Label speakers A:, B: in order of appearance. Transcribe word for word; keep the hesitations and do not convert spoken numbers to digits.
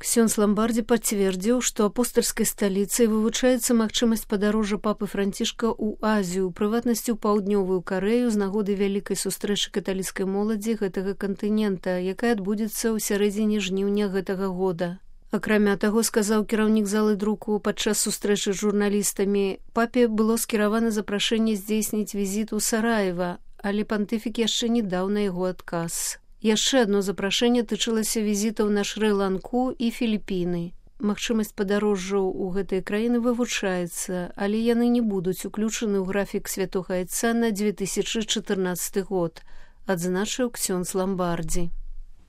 A: Ксёндз Ламбардзі пацвердзіў, што апостальскай сталіцай вывучаецца магчымасць падарожжа папы Францішка ў Азію, у прыватнасці ў паўднёвую Карэю з нагоды вялікай сустрэчы каталіцкай моладзі гэтага кантынента, якая адбудзецца ў сярэдзіне жніўня гэтага года. Акрамя таго, сказаў кіраўнік залы друку падчас сустрэчы з журналістамі, папе было скіравана запрашэнне здзейсніць візіт у Сараева, але пантыфік яшчэ не даў на яго адказ. Яшчэ адно запрашэнне тычылася візітаў на Шры-Ланку і Філіпіны. Магчымасць падарожжаў у гэтыя краіны вывучаецца, але яны не будуць уключаны ў графік святога айца на две тысячы чатырнаццаты год, адзначыў ксёндз Ламбардзі.